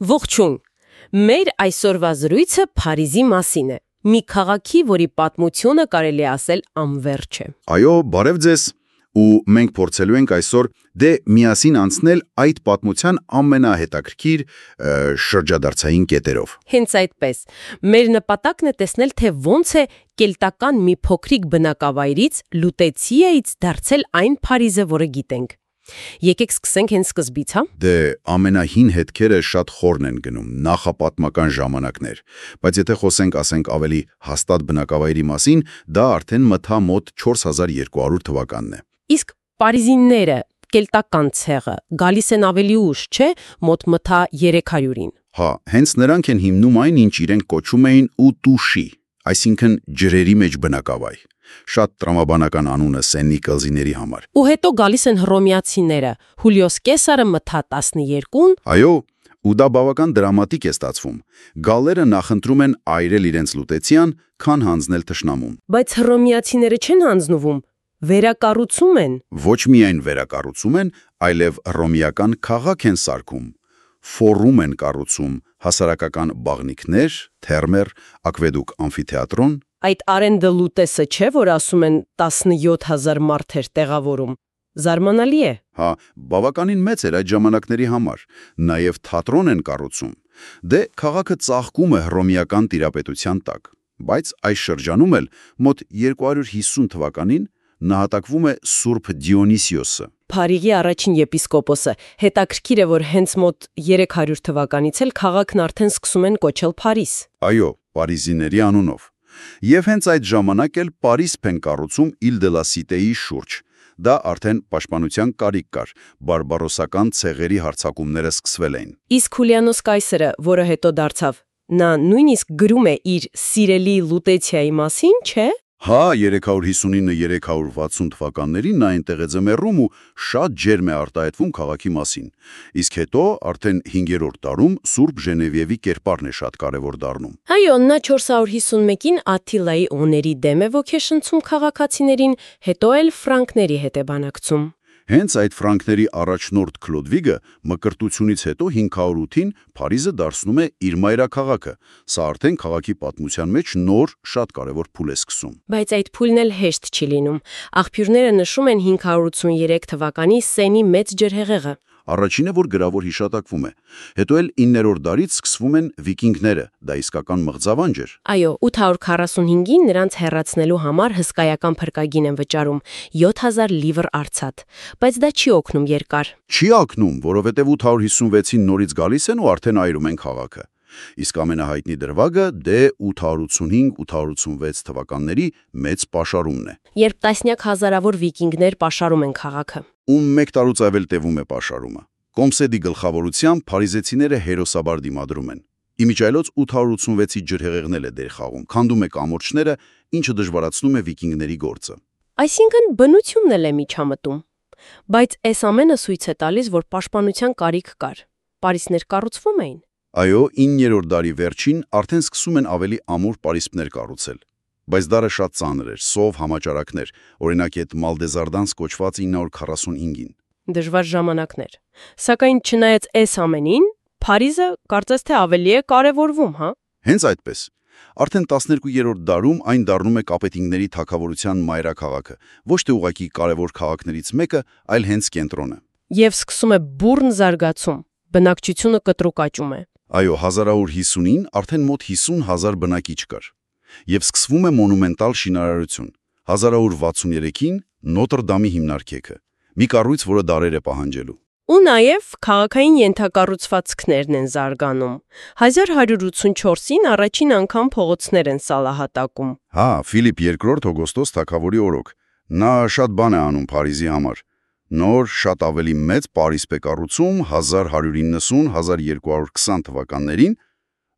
Ողջույն։ Մեր այսօրվա զրույցը Փարիզի մասին է։ Մի քաղաքի, որի պատմությունը կարելի է ասել անվերջ է։ Այո, բարև ձեզ։ Ու մենք փորձելու ենք այսօր միասին անցնել այդ պատմության ամենահետաքրքիր շրջադարձային կետերով։ Հենց այդպես։ Մեր նպատակն է տեսնել, թե ոնց է կելտական մի փոքրիկ բնակավայրից Լուտեցիայից դարձել այն Փարիզը, որը գիտենք։ Եկեք սկսենք հենց սկզբից, հա։ Դե ամենահին հետքերը շատ խորն են գնում, նախապատմական ժամանակներ, բայց եթե ասենք ավելի հաստատ բնակավայրի մասին, դա արդեն մթա մոտ 4200 թվականն է։ Իսկ պարիզինները, կելտական ցեղը, գալիս են ավելի ուշ, չէ՞, մոտ մթա 300-ին։ Հա, հենց նրանք են հիմնում այն, ինչ իրենք կոչում էին ուտուշի, այսինքն ջրերի մեջ բնակավայր։ Շատ տրամաբանական անունը Սեննի կղզիների համար։ Ու հետո գալիս են հռոմեացիները, Հուլիոս Կեսարը մթա 12-ին։ Այո, ու դա բավական դրամատիկ է ստացվում։ Գալերը նախընտրում են այրել իրենց Լուտեցիան, քան հանձնել թշնամուն։ Բայց հռոմեացիները չեն հանձնվում, վերակառուցում են։ Ոչ միայն վերակառուցում են, այլև հռոմեական քաղաք են սարքում։ Ֆորում են կառուցում, հասարակական բաղնիքներ, թերմեր, ակվեդուկ, ամֆիթեատրոն։ Այդ Արենդը Լուտեսը չէ, որ ասում են 17000 մարդ էր տեղավորում։ Զարմանալի է։ Հա, բավականին մեծ էր այդ ժամանակների համար։ Նաև թատրոն են կառուցում։ Դե քաղաքը ծաղկում է հռոմեական տիրապետության տակ։ Բայց այս շրջանում էլ մոտ 250 թվականին նահատակվում է Սուրբ Դիոնիսիոսը։ Փարիզի առաջին եպիսկոպոսը։ Հետաքրքիր է, որ հենց մոտ 300 թվականից էլ քաղաքն արդեն սկսում են կոչել Փարիզ։ Այո, պարիզիների անունով։ Եվ հենց այդ ժամանակ էլ Պարիսպ են կառուցում Իլ դե լա Սիտեի շուրջ։ Դա արդեն պաշտպանության կարիք կար, բարբարոսական ցեղերի հարձակումները սկսվել էին։ Իսկ Հուլիանոս Կայսերը, որը հետո դարձավ, նա նույնիսկ գրում է իր սիրելի Լուտեցիայի մասին, չէ՞։ Հա, 359-360 թվականներին նա այնտեղ է ձմեռում ու շատ ջերմ է արտահայտվում քաղաքի մասին։ Իսկ հետո արդեն 5-րդ դարում Սուրբ Ժենևիևի կերպարն է շատ կարևոր դառնում։ Այո, նա 451-ին Աթիլայի օների դեմ է ոգեշնչում քաղաքացիներին, հետո էլ ֆրանկների հետ է բանակցում։ Հենց այդ ֆրանկների առաջնորդ Քլոդվիգը մկրտությունից հետո 508-ին Փարիզը դարձնում է իր մայրաքաղաքը։ Սա արդեն քաղաքի պատմության մեջ նոր, շատ կարևոր փուլ է սկսում։ Բայց այդ փուլն էլ հեշտ չի լինում։ Աղբյուրները նշում են 583 թվականի Սենի մեծ ջրհեղեղը։ Առաջինը, որ գրավոր հիշատակվում է։ Հետո էլ 9-րդ դարից սկսվում են վիկինգները, դա իսկական մղձավանջ էր։ Այո, 845-ին նրանց հեռացնելու համար հսկայական փրկագին են վճարում՝ 7000 լիվր արծաթ։ Բայց դա չի օգնում երկար։ Չի օգնում, որովհետև 856-ին նորից գալիս են ու արդեն այրում են քաղաքը։ Իսկ ամենահայտնի դրվագը դե 885-886 թվականների մեծ պաշարումն է։ Երբ տասնյակ հազարավոր վիկինգներ պաշարում են քաղաքը։ Ու մեկ տարուց ավել տևում է պաշարումը։ Կոմսեդի գլխավորությամբ փարիզեցիները հերոսաբար դիմադրում են։ Իմիջայլոց 886-ի ջրհեղեղն է դեր խաղում, քանդում է կամուրջները, ինչը դժվարացնում է վիկինգների գործը։ Այսինքն բնությունն էլ է միջամտում։ Բայց այս ամենը ցույց է տալիս, որ պաշտպանության կարիք կար։ Պարիսպներ կառուցվում էին։ Այո, 9-րդ դարի վերջին արդեն սկսում են ավելի ամուր պարիսպներ կառուցել։ Բայց դարը շատ ծանր էր, սով համաճարակներ, օրինակ այդ Մալդեզարդանս կոչված 945-ին։ Դժվար ժամանակներ։ Սակայն չնայած այս ամենին, Փարիզը կարծես թե ավելի է կարևորվում, հա։ Հենց այդպես։ Արդեն 12-րդ դարում այն դառնում է կապետինգների թագավորության մայրաքաղաքը, ոչ թե ուղղակի կարևոր քաղաքներից մեկը, այլ հենց կենտրոնը։ Եվ սկսում է բուռն զարգացում, բնակչությունը կտրուկ աճում է։ Այո, 1150-ին արդեն մոտ 50,000 բնակիչ կար։ Եվ սկսվում է մոնումենտալ շինարարություն։ 1163-ին Նոտր Դամի հիմնարկեքը, մի կառույց, որը դարեր է պահանջելու։ Ու նաև քաղաքային ենթակառուցվածքներն են զարգանում։ 1184-ին առաջին անգամ փողոցներ են սալահատակում։ Հա, Ֆիլիպ II Օգոստոս թագավորի օրոք։ Նա շատ բան է անում Փարիզի համար։ Նոր, շատ ավելի մեծ Պարիսպ է կառուցում 1190-1220 թվականներին,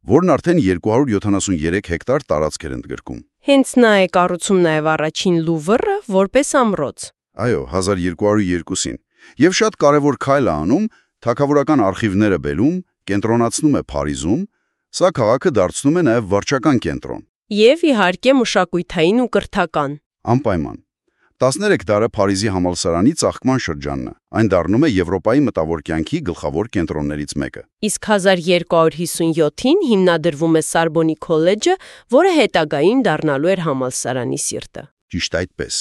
որն արդեն 273 հեկտար տարածք էր ընդգրկում։ Հենց նա է կառուցում նաև առաջին Լուվրը որպես ամրոց։ Այո, 1202-ին։ Եվ շատ կարևոր քայլ է անում, թագավորական արխիվները բերում, կենտրոնացնում է Փարիզում, սա քաղաքը դարձնում է նաև վարչական կենտրոն։ Եվ իհարկե մշակութային ու կրթական։ Անպայման։ 13 դարը Փարիզի համալսարանի ծաղկման շրջանն է։ Այն դառնում է Եվրոպայի մտավոր կյանքի գլխավոր կենտրոններից մեկը։ Իսկ 1257-ին հիմնադրվում է Սորբոնի քոլեջը, որը հետագային դառնալու էր համալսարանի սիրտը։ Ճիշտ այդպես։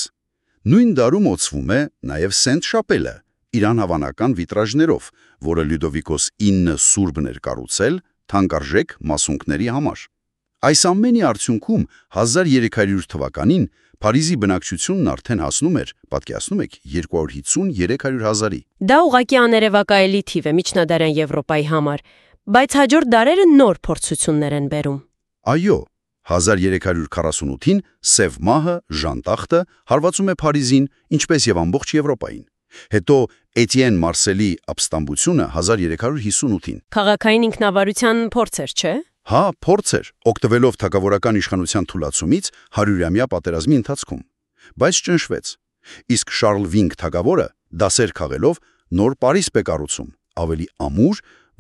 Նույն դարում օծվում է նաև Սենտ Շապելը, իր անհավանական վիտրաժներով, որը Լյուդովիկոս 9 սուրբն էր կառուցել թանկարժեք մասունքների համար։ Այս ամենի արդյունքում 1300 թվականին Փարիզի բնակչությունն արդեն հասնում էր, պատկերացնում եք, 250-300 հազարի։ Դա ուղղակի աներևակայելի թիվ է միջնադարյան Եվրոպայի համար, բայց հաջորդ դարերը նոր փորձություններ են բերում։ Այո, 1348-ին Սև մահը, Ժանտախտը հարվածում է Փարիզին, ինչպես եւ ամբողջ Եվրոպային։ Հետո Էտիեն Մարսելի ապստամբությունը 1358-ին։ Քաղաքային ինքնավարության փորձ էր, չէ՞։ Հա, փորձ էր, օգտվելով թագավորական իշխանության թուլացումից 100-ամյա պատերազմի ընթացքում, բայց ճնշվեց։ Իսկ Շարլ Վինգ թագավորը դասեր քաղելով նոր Փարիզ կառուցում, ավելի ամուր,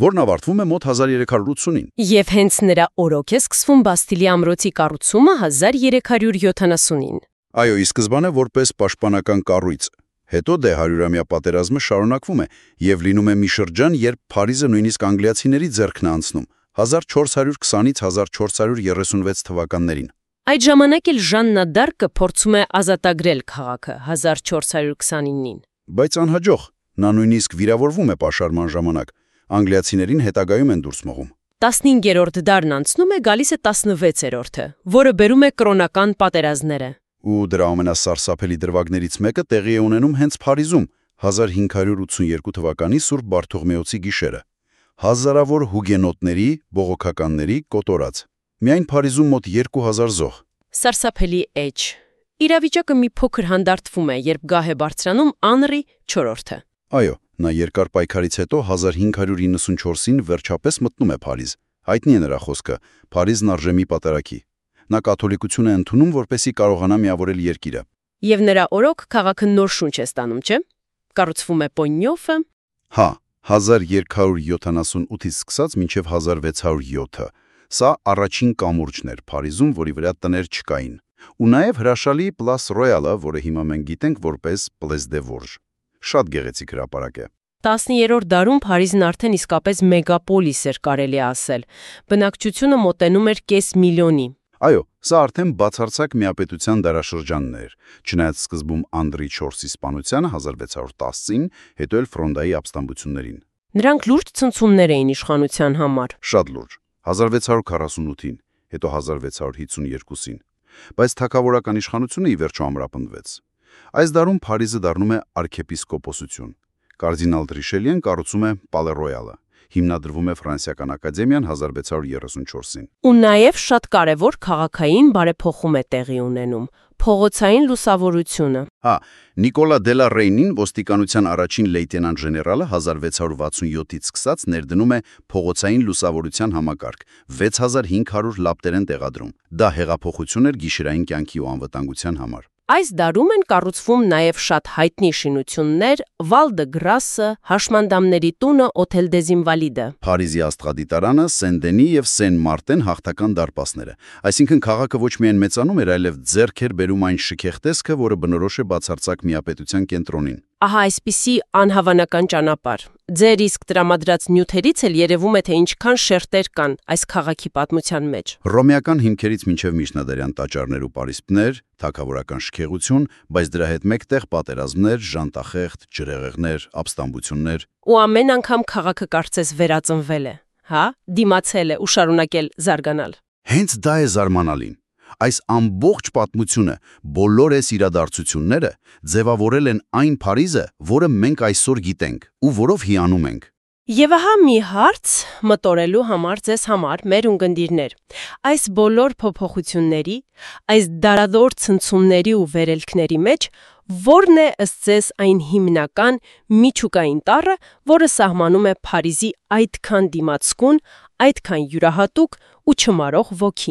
որն ավարտվում է մոտ 1380-ին։ Եվ հենց նրա օրոք է սկսվում Բաստիլի ամրոցի կառուցումը 1370-ին։ Այո, ի սկզբանե որպես պաշտպանական կառույց։ Հետո դե 100-ամյա պատերազմը շարունակվում է եւ լինում է մի շրջան, երբ Փարիզը նույնիսկ անգլիացիների ձեռքն է անցնում 1420-ից 1436 թվականներին։ Այդ ժամանակ էլ Ժաննա դ'Արկը փորձում է ազատագրել քաղաքը 1429-ին։ Բայց անհաջող, նա նույնիսկ վիրավորվում է պաշարման ժամանակ։ Անգլիացիներին հետագայում են դուրս մղում։ 15-րդ դարն անցնում է, գալիս է 16-րդը, որը բերում է կրոնական պատերազմները։ Ու դրա ամենասարսափելի դրվագներից մեկը տեղի է ունենում հենց Փարիզում 1582 թվականի Սուրբ Բարթողմեոցի գիշերը։ Հազարավոր հուգենոտների, բողոքականների կոտորած։ Միայն Փարիզում մոտ 2000 զոհ։ Սարսափելի էջ։ Իրավիճակը մի փոքր հանդարտվում է, երբ գահ է բարձրանում Անրի IV-ը։ Այո, նա երկար պայքարից հետո 1594-ին վերջապես մտնում է Փարիզ։ Հայտնի է նրա խոսքը. «Փարիզն արժե մի պատարագի»։ Նա կաթոլիկություն է ընդունում, որպեսզի կարողանա միավորել երկիրը։ Եվ նրա օրոք քաղաքը նոր շունչ է ստանում, չէ՞։ Կառուցվում է Պոնյոֆը։ Հա, 1278-ից սկսած մինչև 1607-ը։ Սա առաջին կամուրջն էր Փարիզում, որի վրա տներ չկային։ Ու նաև հրաշալի Պլաս Ռոյալը, որը հիմա մենք գիտենք որպես Պլես դե Որժ։ Շատ գեղեցիկ հրապարակ է։ 10-րդ դարում Փարիզն արդեն իսկապես մեգապոլիս էր, կարելի ասել։ Բնակչությունը մոտենում էր կես միլիոնի։ Այո, սա արդեն բացարձակ միապետության դարաշրջանն էր, չնայած սկզբում Անդրի IV-ի սպանությանը 1610-ին, հետո էլ Ֆրոնդայի ապստամբություններին։ Նրանք լուրջ ցնցումներ էին իշխանության համար։ Շատ լուրջ։ 1648-ին, հետո 1652-ին։ Բայց թագավորական իշխանությունը ի վերջո ամրապնդվեց։ Այս դարում Փարիզը դառնում է արքեպիսկոպոսություն։ Կարդինալ Ռիշելիեն կառուցում է Պալե Ռոյալը։ Հիմնադրվում է Ֆրանսիական ակադեմիան 1634-ին։ Ու նաև շատ կարևոր քաղաքային բարեփոխում է տեղի ունենում՝ փողոցային լուսավորությունը։ Հա, Նիկոլա դելա Ռեյնին, ոստիկանության առաջին լեյտենանտ ժեներալը 1667-ից սկսած ներդնում է փողոցային լուսավորության համակարգ, 6500 լապտեր են տեղադրում։ Դա հեղափոխություն էր գիշերային կյանքի ու անվտանգության համար։ Այս դարում են կառուցվում նաև շատ հայտնի շինություններ՝ Վալ դը Գրասը, Հաշմանդամների տունը, Օթել դեզ Ինվալիդը։ Փարիզի Աստղադիտարանը, Սեն-Դենի եւ Սեն-Մարտեն հաղթական դարպասները։ Այսինքն քաղաքը ոչ միայն մեծանում էր, այլև ձեռք էր բերում այն շքեղ տեսքը, որը բնորոշ է բացարձակ միապետության կենտրոնին։ Ահա այսպիսի անհավանական ճանապարհ։ Ձեր իսկ տրամադրած նյութերից էլ երևում է, թե ինչքան շերտեր կան այս քաղաքի պատմության մեջ։ Հռոմեական հիմքերից մինչև միջնադարյան տաճարներ ու պարիսպներ, թագավորական շքեղություն, բայց դրա հետ մեկտեղ պատերազմներ, ժանտախեղդ, ջրհեղեղներ, ապստամբություններ։ Ու ամեն անգամ քաղաքը կարծես վերածնվել է, հա, դիմացել է ու շարունակել զարգանալ։ Հենց դա է զարմանալին։ Այս ամբողջ պատմությունը, բոլոր այս իրադարձությունները ձևավորել են այն Փարիզը, որը մենք այսօր գիտենք ու որով հիանում ենք։ Եվ ահա մի հարց մտորելու համար ձեզ համար, մեր ունկնդիրներ։ Այս բոլոր փոփոխությունների, այս դարադոր ցնցումների ու վերելքների մեջ ո՞րն է ըստ ձեզ այն հիմնական միջուկային տառը, որը սահմանում է Փարիզի այդքան դիմացկուն, այդքան յուրահատուկ ու չմարող ոգին։